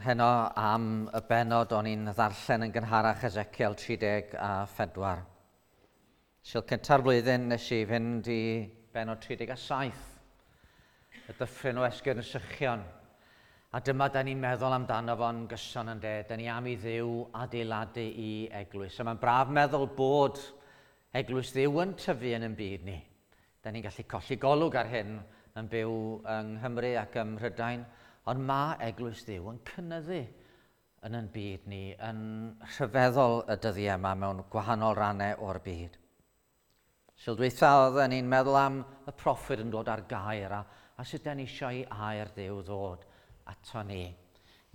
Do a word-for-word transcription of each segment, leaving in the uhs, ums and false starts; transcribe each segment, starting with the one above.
heno am y bennod o'n i'n ddarllen yn gynharach, Ezekiel tri deg a phedwar. Sul cynta'r flwyddyn nes i fynd i bennod tri deg a saith, y dyffryn o esgyrn y sychion. A dyma da ni'n meddwl amdano fo'n gyson yn de, da ni am i Dduw adeiladu i eglwys. A mae'n braf meddwl bod eglwys Dduw yn tyfu yn ein byd ni. Da ni'n gallu colli golwg ar hyn yn byw yng Nghymru ac ym Mhrydain, ond mae eglwys Dduw yn cynyddu yn ein byd ni, yn rhyfeddol y dyddiau yma mewn gwahanol rannau o'r byd. Sul dwytha oedden ni'n meddwl am y proffwyd yn dod ar gair a, a sut da ni eisiau i air Dduw ddod ato ni.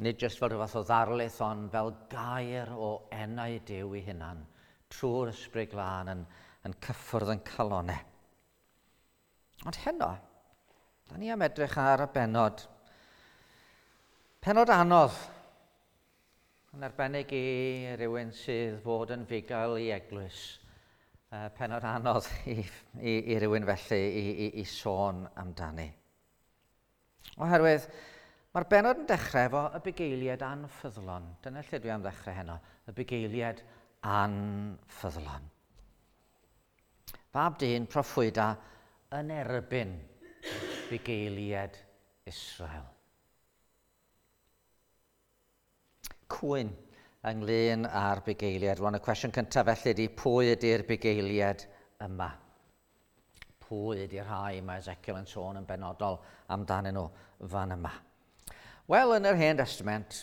Nid jyst fel rhyw fath o ddarlith, ond fel gair o enau Duw ei hunan, trwy'r Ysbryd Glân yn, yn cyffwrdd yn calonau. Ond heno, da ni am edrych ar y bennod. Pennod anodd, yn arbennig i rywun sydd fod yn fugail i eglwys. Uh, pennod anodd i, i, i rywun felly i, i, i sôn amdani. Oherwydd, mae'r bennod yn dechrau efo y bugeiliaid anffyddlon. Dyna lle dwi am ddechrau heno, y bugeiliaid anffyddlon. Fab dyn proffwyda yn erbyn bugeiliaid Israel. Cwyn ynglyn â'r bugeiliaid. Rwan y cwestiwn cyntaf felly ydy, pwy ydy'r bugeiliaid yma? Pwy ydy'r rhai mae Ezekiel yn sôn yn benodol amdanyn nhw fan yma? Wel, yn yr Hen Testament,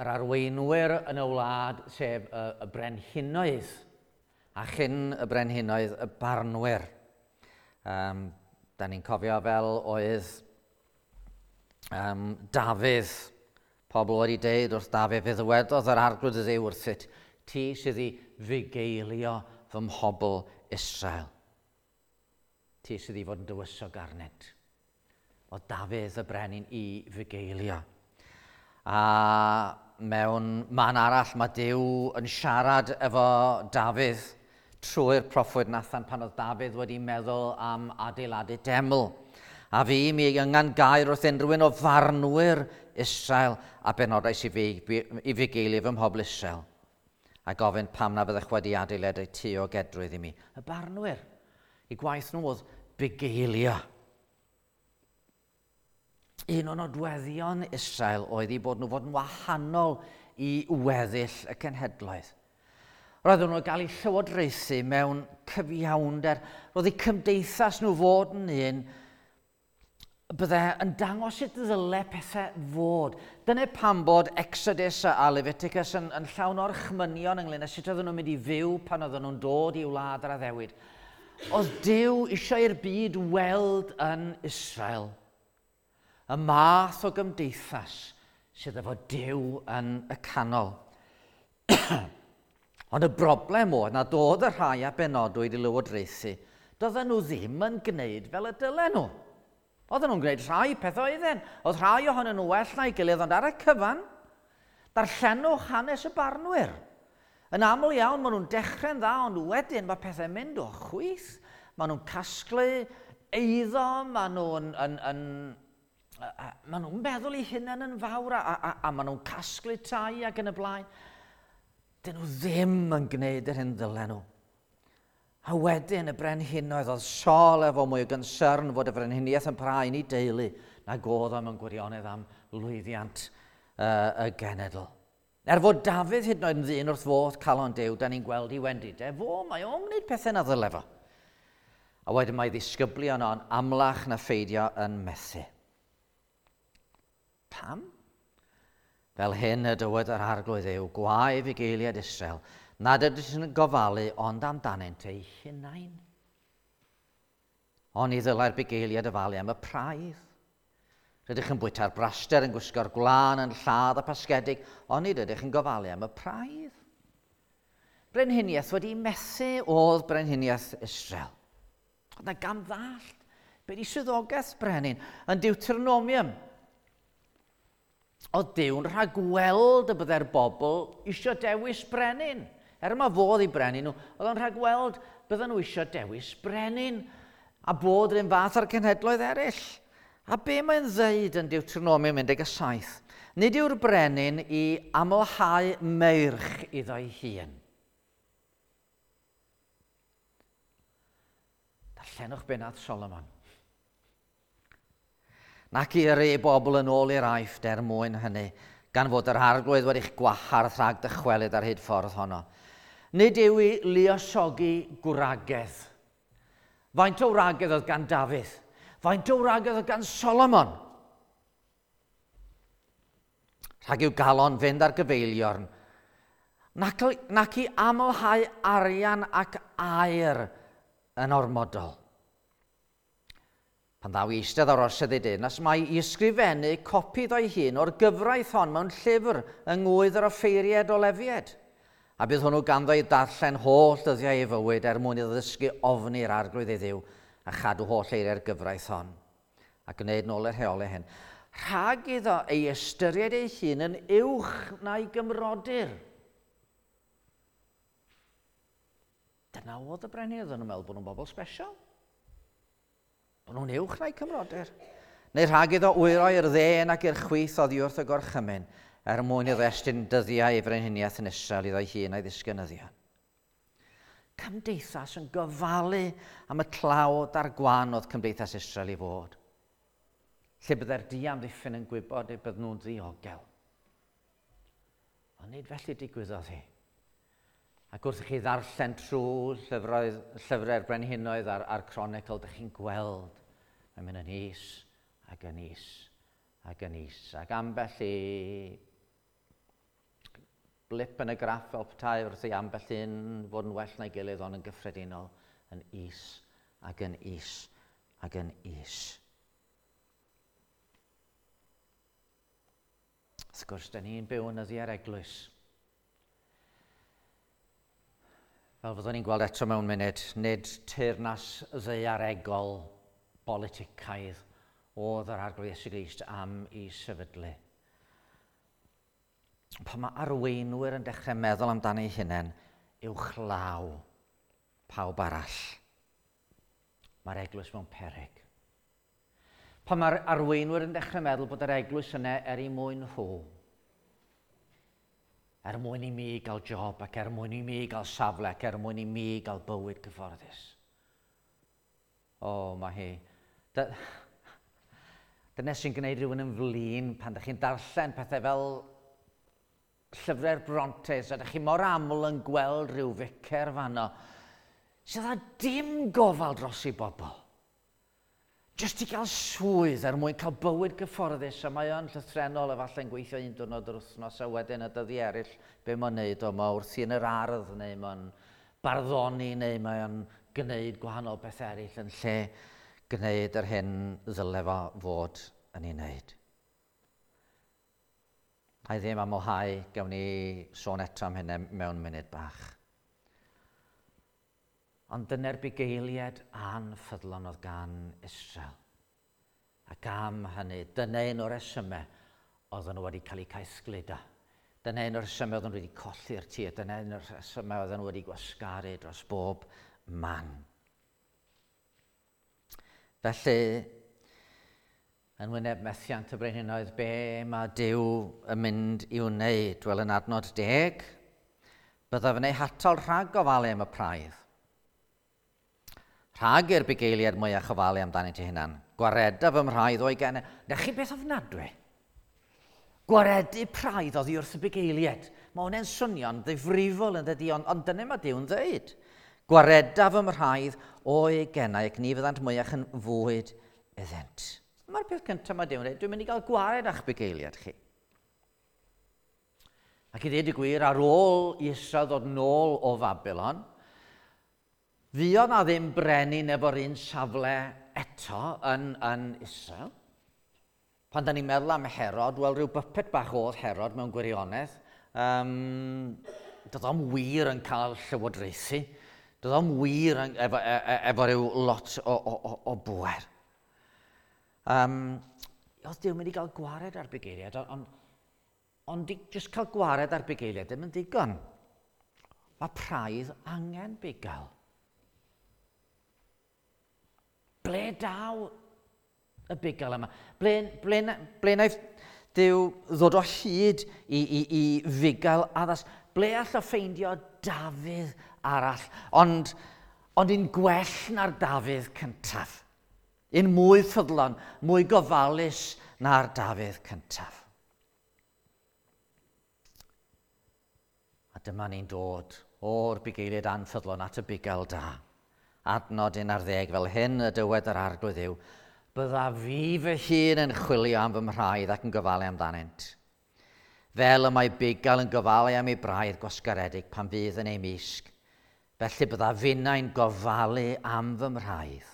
yr arweinwyr yn y wlad, sef y, y brenhinoedd, a chyn y brenhinoedd, y barnwyr. Um, da ni'n cofio fel oedd um, Dafydd, pobl wedi deud wrth Dafydd, fe ddywedodd yr Arglwydd Dduw wrthyt, ti sydd i fugeilio fy mhobl Israel. Ti sydd i fod yn dywysog arnynt. O Dafydd y brenin i fugeilio. A mewn man arall mae Duw yn siarad efo Dafydd trwy'r proffwyd Nathan pan oedd Dafydd wedi meddwl am adeiladu deml. A fi mi yngan gair wrth unrhyw un o farnwyr Israel a benodais i, fi, i fugeilio fy mhobl Israel. A gofyn pam na fyddech wedi adeiladu tŷ o gedrwydd i mi. Y barnwyr, i gwaith nhw oedd bugeilio. Un o nodweddion Israel oedd i bod nhw fod yn wahanol i weddill y cenhedloedd. Roedden nhw'n cael eu llywodraethu mewn cyfiawnder. Roedd eu cymdeithas nhw fod yn un bydde yn dangos sut ddyle pethau fod. Dyna pam bod Exodus a Leviticus yn, yn llawn o'r chmynion ynglyn â sut oedden nhw'n mynd i fyw pan oedden nhw'n dod i wlad yr addewid. Oedd Duw eisiau i'r byd weld yn Israel y math o gymdeithas sydd efo Duw yn y canol. Ond y broblem oedd nad oedd y rhai a benodwyd i lywodraethu, doedden nhw ddim yn gwneud fel y dylen nhw. Oedden nhw'n gwneud rhai pethau oedden. Oedd rhai ohonyn nhw well na'i gilydd, ond ar y cyfan, darllenwch hanes y barnwyr. Yn aml iawn, maen nhw'n dechrau'n dda, ond wedyn mae pethau'n mynd o chwith. Maen nhw'n casglu eiddo, maen nhw'n yn, yn, maen nhw'n meddwl eu hunain yn fawr, a, a, a maen nhw'n casglu tai ac yn y blaen. Dyn nhw ddim yn gwneud yr hyn ddylen nhw. A wedyn y brenhinoedd, oedd Saul efo mwy o gynsyrn fod y frenhiniaeth yn parhau i deulu nag oedd o mewn gwirionedd am lwyddiant uh, y genedl. Er fod Dafydd hyd yn oed yn ddyn wrth fodd calon Duw, da ni'n gweld i wendidau fo, mae o'n gwneud pethau na ddyle fo. A wedyn mae ddisgyblion o'n amlach na pheidio yn methu. Pam? Fel hyn y dywed yr Arglwydd yw, gwae fugeiliaid Israel, nad ydych yn gofalu ond amdanynt eu hunain. Ond ni ddylai'r bugeiliaid ofalu am y praidd. Rydych yn bwyta'r braster, yn gwisgo'r gwlân, yn lladd y pasgedig, ond nid ydych yn gofalu am y praidd. Brenhiniaeth wedi methu oedd brenhiniaeth Israel. Oedd na gam ddallt. Be di swyddogaeth brenin? Yn Deuteronomium, oedd Duw'n rhagweld y byddai'r bobl eisiau dewis brenin. Er yma fodd i brenin nhw, oedd o'n rhagweld bydden nhw eisiau dewis brenin a bod yr un fath ar cenhedloedd eraill. A be mae'n ddeud yn Deuteronomium un deg saith? Nid yw'r brenin i amlhau meirch iddo'i hun. Darllenwch be nath Solomon. Nac i yrru ei bobl yn ôl i'r Aifft er mwyn hynny, gan fod yr Arglwydd wedi'ch gwahardd rhag dychwelyd ar hyd ffordd honno. Nid yw i luosogi gwragedd. Faint o wragedd oedd gan Dafydd? Faint o wragedd oedd gan Solomon? Rhag i'w galon fynd ar gyfeiliorn, nac, nac i amlhau arian ac aur yn ormodol. Pan ddaw i eistedd ar orsedd ei deyrnas, mae i ysgrifennu copi iddo'i hun o'r gyfraith hon mewn llyfr yng ngwydd yr offeiriad o Lefied. A bydd hwnnw ganddo i darllen holl dyddiau ei fywyd er mwyn iddo ddysgu ofni'r Arglwydd ei Dduw a chadw holl eiriau'r gyfraith hon, a gwneud nôl yr rheolau hyn. Rhag iddo ei ystyried ei hun yn uwch na'i gymrodyr. Dyna oedd y brenin, oedden nhw'n meddwl bod nhw'n bobl special. Bod nhw'n uwch na'i cymrodyr. Neu rhag iddo wyro i'r dde nac i'r chwith oddi wrth y gorchymyn, er mwyn iddo estyn dyddiau ei frenhiniaeth yn Israel iddo'i hun a'i ddisgynyddion. Cymdeithas yn gofalu am y tlawd a'r gwan oedd cymdeithas Israel i fod. Lle byddai'r diamddiffyn yn gwybod eu bydden nhw'n ddiogel. Ond nid felly digwyddodd hi. Ac wrth i chi ddarllen trwy llyfroedd, llyfrau'r brenhinoedd a'r, a'r cronicl, dych chi'n gweld mae'n mynd yn is ac yn is ac yn is. Ac ambell i blip yn y graff fel petai wrth i ambell un fod yn well na'i gilydd, ond yn gyffredinol yn is ac yn is ac yn is. Wrth gwrs, da ni'n byw yn nyddiau'r eglwys. Fel fyddwn ni'n gweld eto mewn munud, nid teyrnas ddaearegol boliticaidd oedd yr Arglwydd Iesu Grist am ei sefydlu. Pan mae arweinwyr yn dechrau meddwl amdano eu hunain, uwchlaw pawb arall, mae'r eglwys mewn peryg. Pan mae'r arweinwyr yn dechrau meddwl bod yr eglwys yna er ei mwyn nhw, er mwyn i mi gael job ac er mwyn i mi gael safle ac er mwyn i mi gael bywyd cyfforddus. O, mae hi. Dyna sy'n gwneud rhywun yn flin pan ydych chi'n darllen pethau fel llyfrau'r Brontes, a ydych chi mor aml yn gweld rhyw ficer fanno sydd â dim gofal dros ei bobl. Jyst i gael swydd er mwyn cael bywyd gyfforddus, a mae o'n llythrennol efallai'n gweithio un diwrnod yr wythnos a wedyn y dyddi eraill be mae'n neud o, mae wrthi yn yr ardd neu mae'n barddoni neu mae o'n gwneud gwahanol beth eraill yn lle gwneud yr hyn ddyle fo fod yn ei wneud. A i ddim amlhau, gawn ni sôn eto am hynny mewn munud bach. Ond dyna'r bugeiliaid anffyddlon oedd gan Israel. Ac am hynny, dyna un o'r resymau oedden nhw wedi cael eu caethgludo. Dyna un o'r resymau oedden nhw wedi colli'r tir. Dyna un o'r resymau oedden nhw wedi gwasgaru dros bob man. Felly, yn wyneb methiant y brenhinoedd, be mae Duw yn mynd i'w wneud? Wel, yn adnod deg, byddaf yn eu hatal rhag gofalu am y praidd. Rhag i'r bugeiliaid mwyach ofalu amdanynt eu hunan. Gwareda fy mhraidd o'i genau. Na chi beth ofnadwy? Gwaredu praidd oddi wrth y bugeiliaid. Mae hwnna'n swnio'n ddifrifol yn dydi, ond, ond dyna mae Duw'n dweud. Gwareda fy mhraidd o'i genau ac ni fyddant mwyach yn fwyd iddynt. Mae'r peth cyntaf mae Duw'n dweud, dwi'n mynd i gael gwared â'ch bugeiliaid chi. Ac i ddweud y gwir, ar ôl i Israel ddod nôl o Fabilon, fuodd na ddim brenin efo'r un safle eto yn, yn Israel. Pan da ni'n meddwl am Herod, wel rhyw byped bach oedd Herod mewn gwirionedd. Um, doedd o'm wir yn cael llywodraethu. Doedd o'm wir yn, efo, e, e, efo rhyw lot o, o, o, o bwer. Um, oedd Duw mynd i gael gwared ar bugeiliaid, ond ond, ond jyst cael gwared ar bugeiliaid ddim yn digon. Mae praidd angen bugail. Ble daw y bugail yma? Ble, ble, ble wnaeth Duw ddod o hyd i, i, i fugail addas? Ble all o ffeindio Dafydd arall? Ond, ond un gwell na'r Dafydd cyntaf. Un mwy ffyddlon, mwy gofalus na'r Dafydd cyntaf. A dyma ni'n dod o'r bugeiliaid anffyddlon at y bugail da. Adnod un ar ddeg, fel hyn y dywed yr Arglwydd yw, bydda fi fy hun yn chwilio am fy mhraidd ac yn gofalu amdanynt. Fel y mae bugail yn gofalu am ei braidd gwasgaredig pan fydd yn ei misg, felly bydda finnau'n gofalu am fy mhraidd.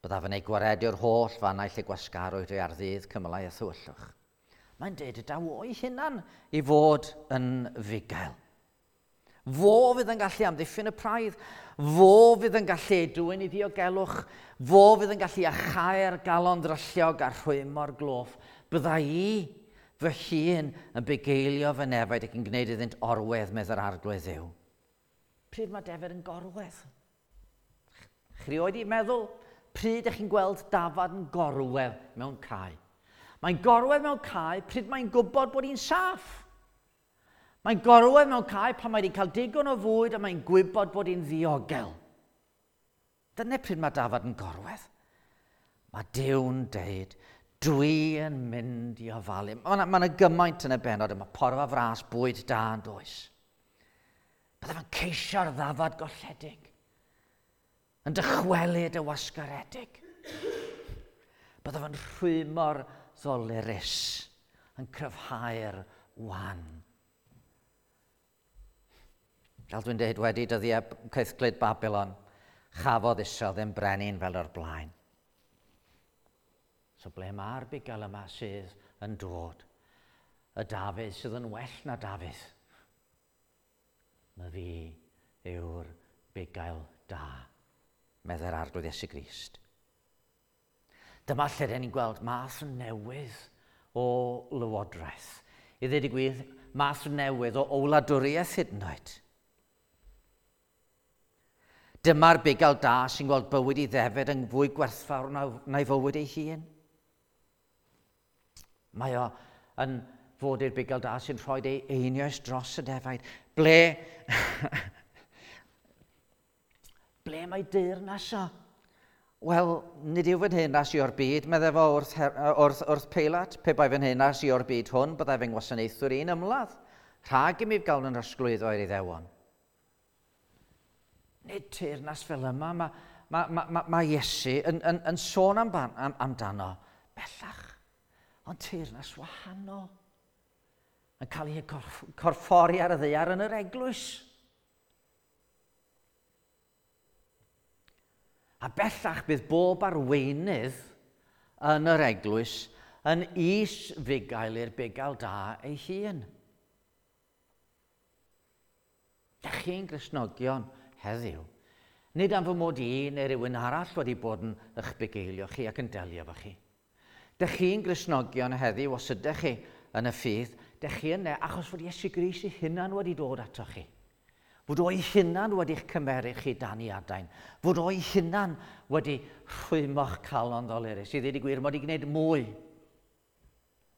Byddaf yn ei gwaredu o'r holl fannau lle gwasgarwyd ei ar ddydd cymylau a thywyllwch. Mae'n deud y daw o'i hunan i fod yn fugail. Fo fydd yn gallu amddiffyn y praidd, fo fydd yn gallu ei dwyn i ddiogelwch, fo fydd yn gallu achau'r galon ddrylliog a rhwymo'r gloff. Bydda i fy hun yn bugeilio fy nefaid ac yn gwneud iddynt orwedd, medd yr Arglwydd Dduw. Pryd mae defaid yn gorwedd? Chi rioed i meddwl, pryd ydych chi'n gweld dafad yn gorwedd mewn cae? Mae'n gorwedd mewn cae pryd mae'n gwybod bod hi'n saff. Mae'n gorwedd mewn cae pan mae wedi cael digon o fwyd a mae'n gwybod bod hi'n ddiogel. Dyna pryd mae dafad yn gorwedd. Mae Duw'n deud, dwi yn mynd i ofalu. Mae yna, ma yna gymaint yn y bennod yma, porfa fras, bwyd da yn does. Byddaf yn ceisio'r ddafad golledig, yn dychwelyd y wasgaredig. Byddaf yn rhwymo'r ddolurus, yn cryfhau'r wan. Fel dwi'n dweud, wedi dyddiau caethglud Babylon, chafodd Israel ddim brenin fel o'r blaen. So ble mae'r bugail yma sydd yn dod? Y Dafydd sydd yn well na Dafydd. Mae fi yw'r bugail da, meddai'r Arglwydd Iesu Grist. Dyma lle rydyn ni'n gweld math newydd o lywodraeth. I ddweud y gwir, math newydd o wladwriaeth hyd yn oed. Dyma'r bugail da sy'n gweld bywyd ei ddefed yn fwy gwerthfawr na'i fywyd ei hun. Mae o yn fod i'r bugail da sy'n rhoi ei einioes dros y defaid. Ble, ble mae deyrnas o? Wel, nid yw fy nheyrnas i o'r byd, meddai fo wrth, wrth, wrth Peilat. Pe bai fy nheyrnas i o'r byd hwn, byddai fy ngwasanaethwr i'n ymladd, rhag i mi gael yn rhosglwyddo i'r Iddewon. Nid teyrnas fel yma, mae ma, ma, ma, ma Iesu yn, yn, yn sôn am, am, amdano bellach, ond teyrnas wahanol, yn cael ei corff, corffori ar y ddaear yn yr eglwys. A bellach bydd bob arweinydd yn yr eglwys yn is-fugail i'r bugail da ei hun. Dych chi'n Gristnogion heddiw. Nid am fy mod i neu rhywun arall wedi bod yn eich bugeilio chi ac yn delio efo chi. Dych chi'n Gristnogion heddiw os ydych chi yn y ffydd, dych chi yna achos fod Iesu Grist ei hunan wedi dod ato chi. Fod o'i hunan wedi'ch cymeru chi dan ei adain. Fod o'i hunan wedi rhwymo'ch calon ddolurus. I ddweud y gwir, mod i gwneud mwy.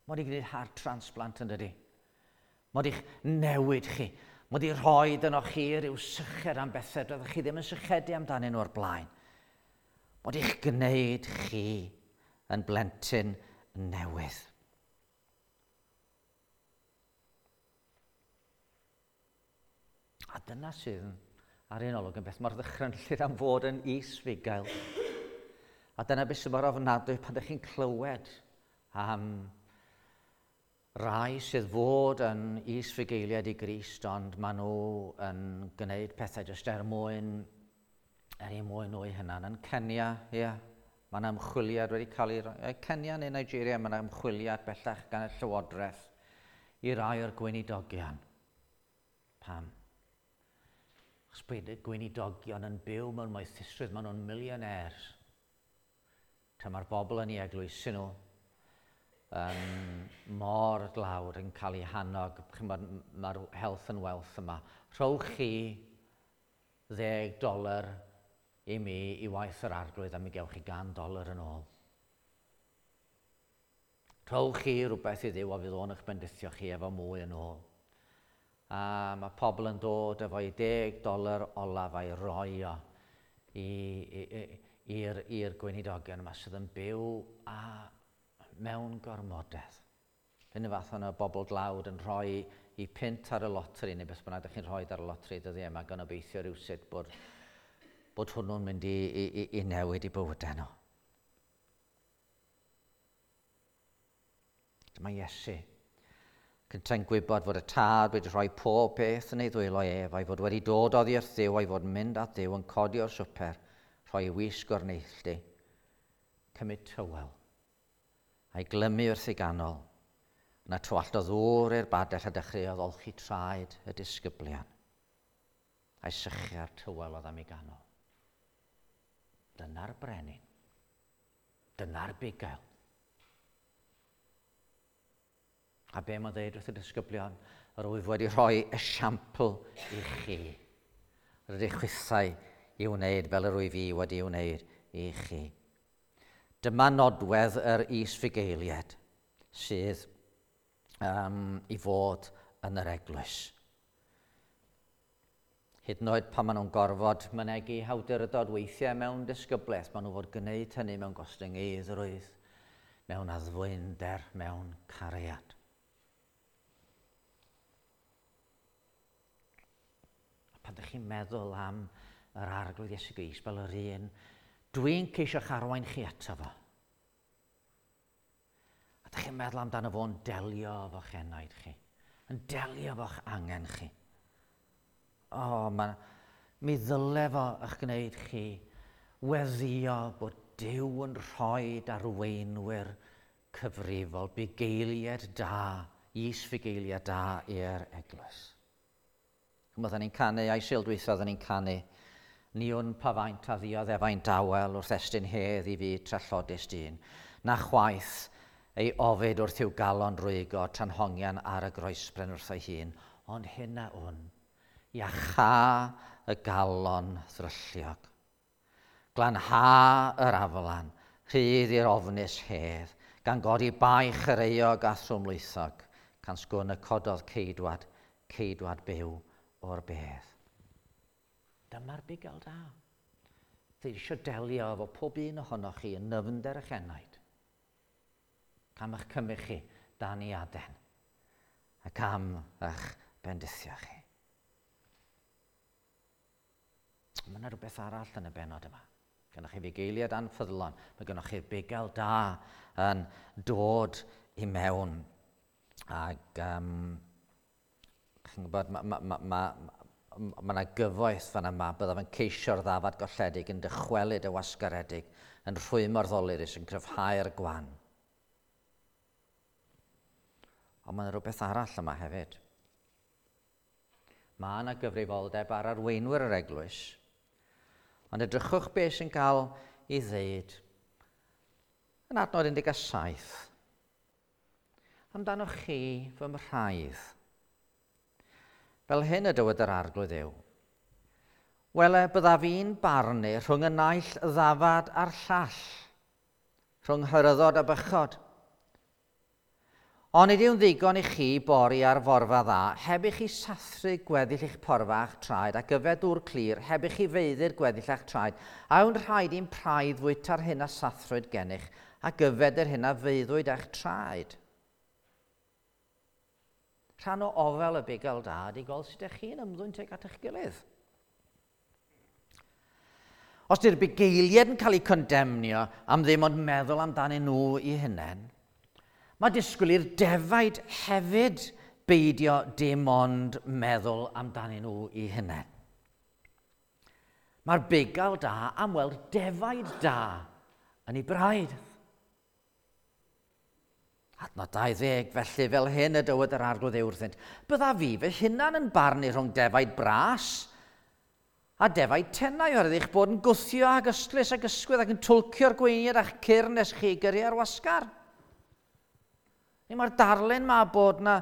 Mod i gwneud heart transplant yn dydi. Mod i'ch newid chi. Mod i rhoi yno chi rhyw syched am bethau doeddech chi ddim yn sychedu amdanyn nhw o'r blaen. Mod i'ch gwneud chi yn blentyn newydd. A dyna sydd ar un olwg yn beth mor ddychrynllyd am fod yn is-fugail. A dyna beth sydd mor ofnadwy pan ydych chi'n clywed am rai sydd fod yn is-fugeiliaid i Grist, ond maen nhw yn gwneud pethau jyst er mwyn, er eu mwyn nhw eu hunan. Yn Kenya, ie, yeah, mae yna ymchwiliad wedi cael ei roi. Kenya neu Nigeria, mae yna ymchwiliad bellach gan y Llywodraeth i rai o'r gweinidogion. Pam? Achos bod y gweinidogion yn byw mewn moethusrwydd, maen nhw'n millionaires. Tra mae'r bobl yn ei eglwysi nhw um, mor dlawd yn cael eu hannog, mae'r health and wealth yma. Rhowch chi ddeg doler i mi i waith yr Arglwydd a mi gewch chi gan doler yn ôl. Rhowch chi rhywbeth i Dduw a fydd o'n eich bendithio chi efo mwy yn ôl. A mae pobl yn dod efo'i deg doler olaf a'i roi o i'r, i'r gweinidogion yma sydd yn byw a mewn gormodedd. Hyn y fath yna bobl dlawd yn rhoi i punt ar y loteri, neu beth bynnag ydych chi'n rhoi ar y loteri dyddiau yma, gan obeithio rhywsut bod, bod hwnnw'n mynd i, i, i, i newid i bywydau nhw. Dyma Iesu. Cyntau'n gwybod fod y Tad wedi rhoi pob peth yn ei ddwylo ef, a'i fod wedi dod oddi wrth Dduw, a'i fod yn mynd at Dduw yn codi o'r swper, rhoi ei wisg o'r neilltu, cymryd tywel, a'i glymu wrth ei ganol. Yna tywallt o ddŵr i'r badell a dechreuodd olchi traed y disgyblion, a'i sychu'r tywel oedd am ei ganol. Dyna'r brenin. Dyna'r bugail. A be mae'n dweud wrth y disgyblion? Yr wyf wedi rhoi esiampl i chi. Rydych chwithau i wneud fel yr wyf i wedi wneud i chi. Dyma nodwedd yr is-fugeiliaid sydd um, i fod yn yr eglwys. Hyd yn oed pan maen nhw'n gorfod mynegi hawdurdod weithiau mewn disgyblaeth, maen nhw fod gwneud hynny mewn gostyngeiddrwydd, mewn addfwynder, mewn cariad. Pan ydych chi'n meddwl am yr Arglwydd Iesu Grist fel yr un, dwi'n ceisio'ch arwain chi ato fo. A ydych chi'n meddwl amdano fo'n delio efo'ch enaid chi, yn delio efo'ch angen chi. O, oh, ma, mi ddyle fo eich gwneud chi weddïo bod Duw yn rhoi arweinwyr cyfrifol, bugeiliaid da, is-fugeiliaid da i'r eglwys. Oedden ni'n canu, a'i sil dwytha oedden ni'n canu, ni wn pa faint a ddioddefaint dawel wrth estyn hedd i fyd trallodus dyn, na chwaith ei ofid wrth i'w galon rwygo tra'n hongian ar y groesbren wrth ei hun, ond hyn a wn, iachâ y galon ddrylliog. Glanha yr aflan, rhydd i'r ofnus hedd, gan godi baich yr euog a thrwmlwythog, can sgwn y cododd ceidwad, ceidwad byw o'r bedd. Dyma'r bugail da. Dwi eisiau delio efo pob un ohonoch chi yn nyfnder eich enaid. Am eich cymryd chi dan ei aden ac am eich bendithio chi. Mae yna rhywbeth arall yn y bennod yma. Gennych chi fugeiliaid anffyddlon, mae gennych chi'r bugail da yn dod i mewn. Ac um, chi'n gwybod, mae ma, ma, ma, ma yna gyfoeth fan yma, byddaf yn ceisio'r ddafad golledig, yn dychwelyd y wasgaredig, yn rhwymo'r ddolurus, yn cryfhau'r gwan. Ond mae yna rhywbeth arall yma hefyd. Mae yna gyfrifoldeb ar arweinwyr yr eglwys, ond edrychwch beth sy'n cael ei ddeud yn adnod un deg saith. Amdanoch chi fy mhraidd. Fel hyn y dywed yr Arglwydd yw. Wele, byddaf i'n barnu rhwng y naill ddafad a'r llall, rhwng hyryddod a bychod. Ond nid yw'n ddigon i chi bori ar forfa dda, heb i chi sathru gweddill eich porfa a'ch traed ac yfed dŵr clir, heb i chi feiddi'r gweddill a'ch traed, a yw'n rhaid i'n praidd fwyta'r hyn a sathrwyd gennych ac yfed yr hyn a feiddwyd a'ch traed. Rhan o ofel y bugail da ydy gweld sut ydych chi'n ymddwyn tuag at eich gilydd. Os di'r bugeiliaid yn cael eu condemnio am ddim ond meddwl amdanyn nhw eu hunain, mae disgwyl i'r defaid hefyd beidio dim ond meddwl amdanyn nhw eu hunain. Mae'r bugail da am weld defaid da yn ei braidd. Adnod dau ddeg, felly fel hyn y dywed yr Arglwydd yw wrthynt, byddaf fi fy hunan yn barnu rhwng defaid bras a defaid tenau oherwydd eich bod yn gwthio ag ystlys ag ysgwydd ac yn twlcio'r gweiniad a'ch cyrn nes chi gyrru ar wasgar. Neu mae'r darlun ma bod na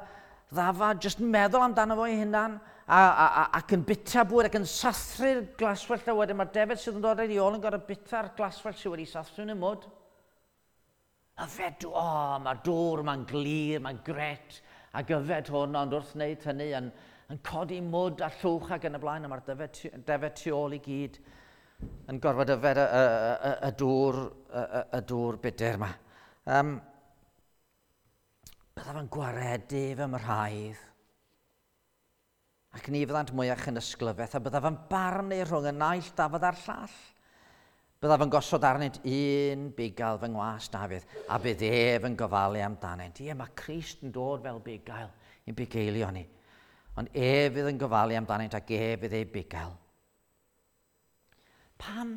ddafad jyst meddwl amdano fo ei hunan a, a, a, ac yn bita bwyd ac yn sathru'r glaswellt a wedyn mae'r defaid sydd yn dod ar ei ôl yn gorfod bita'r glaswellt sydd wedi sathru yn y mwd. Yfed, o, oh, mae'r dŵr, mae'n glir, mae'n gret, ac yfed hwn, ond wrth wneud hynny yn, yn codi mwd a llwch ac yn y blaen, a mae'r defed, defed tu ôl i gyd yn gorfod yfed y, y, y, y, dŵr, y, y, y dŵr budr yma. Um, byddaf yn gwaredu fy mrhaidd, ac ni fyddant mwyach yn ysglyfaeth, a byddaf yn barnu rhwng y naill dafad a'r llall. Byddaf yn gosod arnynt un bugail fy ngwas Dafydd, a bydd ef yn gofalu amdanynt. Ie, mae Crist yn dod fel bugail i'n bugeilio ni. Ond ef fydd yn gofalu amdanynt ac ef fydd ei bugail. Pam?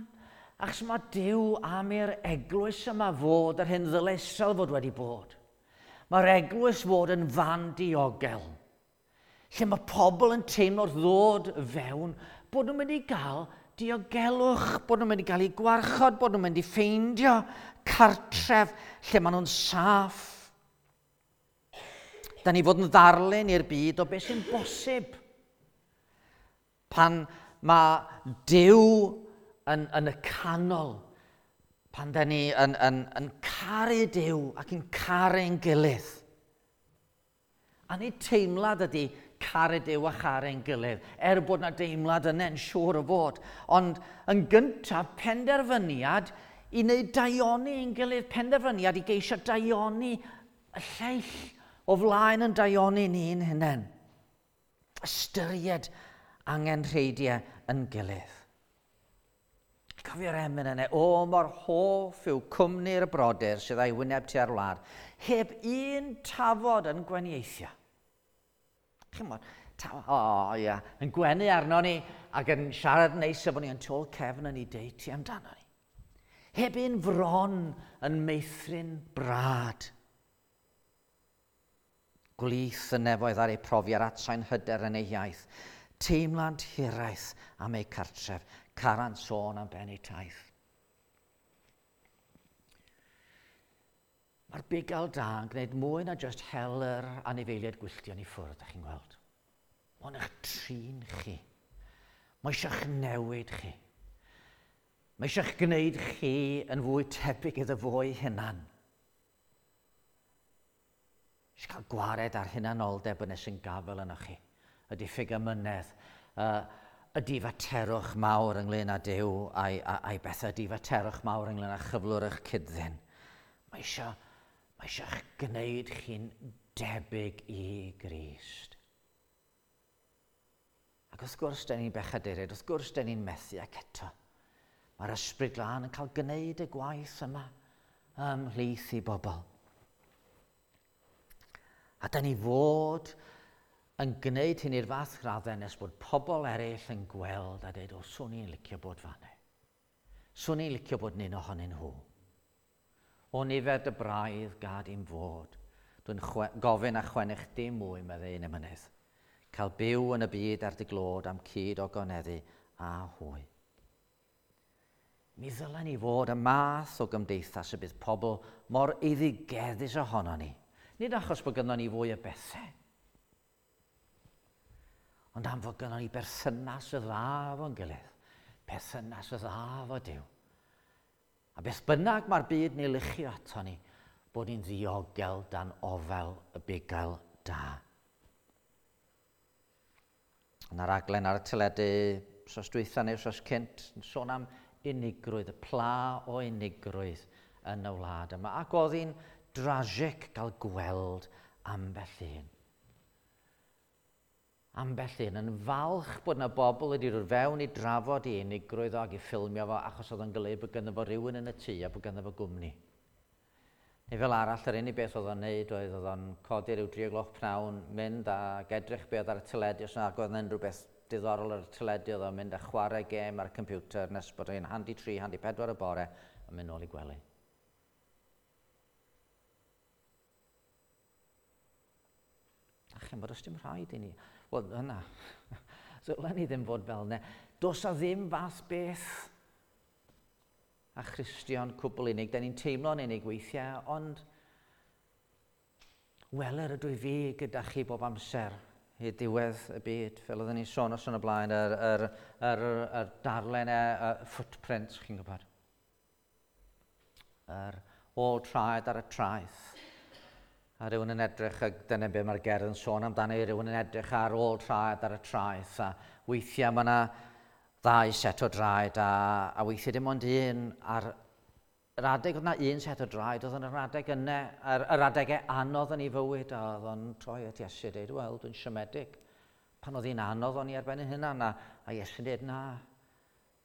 Achos mae Duw am i'r eglwys yma fod yr hyn ddyle Israel fod wedi bod. Mae'r eglwys fod yn fan diogel, lle mae pobl yn teimlo wrth ddod fewn bod nhw'n mynd i gael diogelwch, bod nhw'n mynd i gael eu gwarchod, bod nhw'n mynd i ffeindio cartref lle maen nhw'n saff. Da ni fod yn ddarlun i'r byd o beth sy'n bosib. Pan mae Duw yn, yn y canol, pan da ni yn, yn, yn caru Duw ac yn caru'n gilydd. A nid teimlad ydy caru Duw a charu'n gilydd, er bod na deimlad yna yn siŵr o fod. Ond yn gyntaf, penderfyniad i wneud daioni ein gilydd, penderfyniad i geisio daioni y lleill o flaen yn daioni ni'n hunain. Ystyried angenrheidiau yn gilydd. Cofio'r emyn yna, o mor hoff yw cwmni'r brodyr sydd â'i wyneb tua'r wlad, heb un tafod yn gwenieithio. Chimod, o oh, ia, yn gwenu arno ni ac yn siarad neis efo ni, yn tu ôl cefn yn ei deiti amdano ni. Heb un fron yn meithrin brad. Gwlith y nefoedd ar eu profiad atsain hyder yn eu iaith. Teimlant hiraeth am eu cartref, carant sôn am ben eu taith. Mae'r bugail da yn gwneud mwy na just hel yr anifeiliaid gwylltion i ffwrdd, ydych chi'n gweld. Mae'n eich trin chi. Mae eisiau'ch newid chi. Mae eisiau'ch gwneud chi yn fwy tebyg iddo fo'i hunan. Eisiau cael gwared ar hunanoldeb yn sy'n gafel yno chi. Y diffyg amynedd, uh, y difaterwch mawr ynglyn â Duw a'i, a'i bethau, difaterwch mawr ynglyn â chyflwr eich cyd-ddyn. Mae eisiau, mae eisiau'ch gwneud chi'n debyg i Grist. Ac wrth gwrs, da ni'n bechaduriaid, wrth gwrs, da ni'n methu ac eto. Mae'r Ysbryd Glân yn cael gwneud y gwaith yma ymhlith i bobl. A da ni fod yn gwneud hyn i'r fath raddau nes bod pobl eraill yn gweld a dweud, o, swn i'n licio bod fan'na. Swn i'n licio bod yn un ohonyn nhw. O nifer dy braidd gad i'm fod. Dwi'n gofyn a chwennych dim mwy, meddai un emynydd. Cael byw yn y byd ar dy glod am cyd o goneddu a hwy. Mi ddylen ni fod y math o gymdeithas y bydd pobl mor eiddigeddus ohono ni. Nid achos bod gynnon ni fwy o bethau, ond am fod gynnon ni berthynas y dda efo'n gilydd, perthynas y dda efo Duw. A beth bynnag mae'r byd ni luchio ato ni, bod ni'n ddiogel dan ofal y bugail da. Yna raglen ar y teledu, wsos dwytha neu wsos cynt, yn sôn am unigrwydd, y pla o unigrwydd yn y wlad yma. Ac oedd hi'n drasig gael gweld ambell un. Ambell un yn falch bod yna bobl wedi dod fewn i drafod i unigrwydd o ac i ffilmio fo, achos oedd yn golygu bod ganddo fo rhywun yn y tŷ a bod ganddo fo gwmni. Neu fel arall, yr unig beth oedd o'n neud oedd oedd o'n codi rhyw dri o gloch pnawn, mynd ac edrych be oedd ar y teledu, os nag oedd unrhyw beth diddorol ar y teledu, oedd o'n mynd a chwarae gêm ar y computer nes bod o'n handi tri, handi pedwar y bore, a mynd nôl i gwely. A chymod, oes dim rhaid i ni. Wel, yna, ddylen ni ddim fod fel yna. Does a ddim fath beth a Christion cwbl unig. Da ni'n teimlo'n unig weithiau, ond weler ydw i fi gyda chi bob amser i diwedd y byd. Fel oedden ni'n sôn os yn y blaen, yr, yr, yr, yr darllen, y footprints, chi'n gwybod. Yr Ôl traed ar y traeth. A rhywun yn edrych, ac dyna be mae'r gerdd yn sôn amdano, rhywun yn edrych ar ôl traed ar y traeth. A weithiau mae yna ddau set o draed, a, a weithiau dim ond un. Ar yr adeg oedd yna un set o draed, oedd yn yr adeg yna, yr, yr adegau anodd yn ei fywyd, a oedd o'n troi at Iesu a dweud, wel, dwi'n siomedig. Pan oedd hi'n anodd o'n i ar ben ei hunan, a, a Iesu'n dweud, na,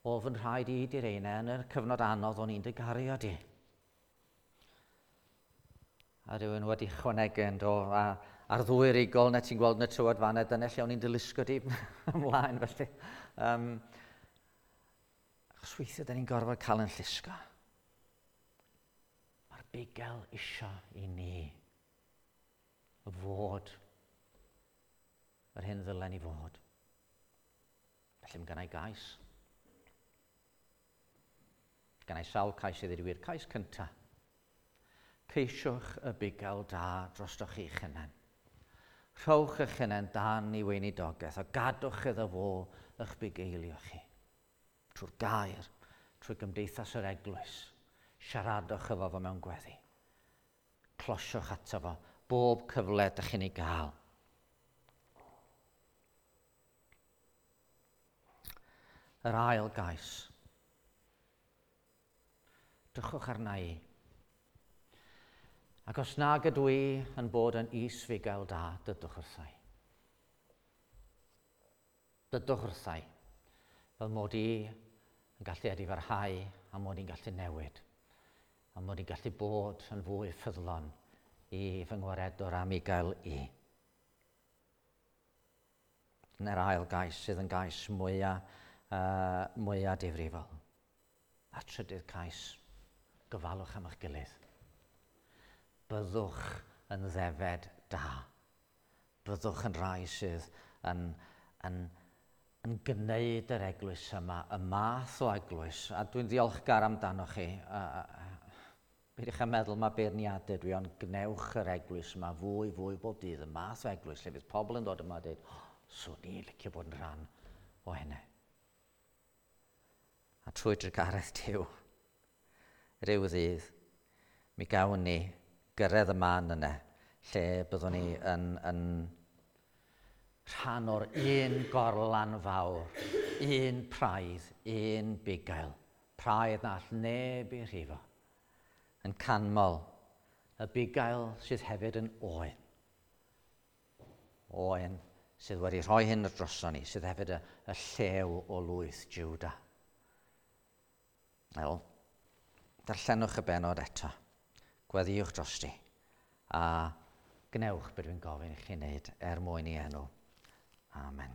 o fy nhraed i di'r reina, yn y cyfnod anodd o'n i'n dy gario di. A rhywun wedi chwanegu yn do, a, a'r ddwy rigol na ti'n gweld yn y tywod fanna, dyna lle o'n i'n dy lusgo di ymlaen felly. Um, achos weithiau, da ni'n gorfod cael yn llusgo. Mae'r bugail isio i ni fod yr hyn ddylen ni fod. Felly mae gennau gais. Gennau sawl cais i ddweud wir. Cais cyntaf. Ceisiwch y bugail da drostoch chi'ch hunain. Rhowch eich hunain dan ei weinidogaeth a gadwch iddo fo eich bugeilio chi. Trwy'r gair, trwy gymdeithas yr eglwys, siaradwch efo fo mewn gweddi. Closiwch ato fo bob cyfle ydych chi'n ei gael. Yr ail gais. Drychwch arna i. Ac os nag ydw i yn bod yn is-fugail da, dydwch wrthai. Dydwch wrthai, fel mod i yn gallu edifarhau a mod i'n gallu newid, a mod i'n gallu bod yn fwy ffyddlon i fy ngwaredwr am i gael i. Dyna'r ail gais sydd yn gais mwyaf, uh, mwyaf difrifol. A trydydd cais, gofalwch am eich gilydd. Byddwch yn ddefed da. Byddwch yn rhai sydd yn, yn, yn gwneud yr eglwys yma, y math o eglwys, a dwi'n ddiolchgar amdano chi. Peidiwch â meddwl mae beirniadau dwi, ond gwnewch yr eglwys yma fwy, fwy bob dydd, y math o eglwys lle fydd pobl yn dod yma a dweud, oh, swn i'n licio bod yn rhan o hynny. A trwy drugaredd Duw, rhyw ddydd, mi gawn ni gyrraedd y man yna, lle byddwn ni yn, yn rhan o'r un gorlan fawr, un praidd, un bugail, praidd na all neb ei rhifo, yn canmol y bugail sydd hefyd yn oen. Oen sydd wedi rhoi hyn droson ni, sydd hefyd y, y llew o lwyth Juda. Wel, darllenwch y benod eto. Gweddïwch drosti a gwnewch beth dwi'n gofyn i chi wneud er mwyn i enw. Amen.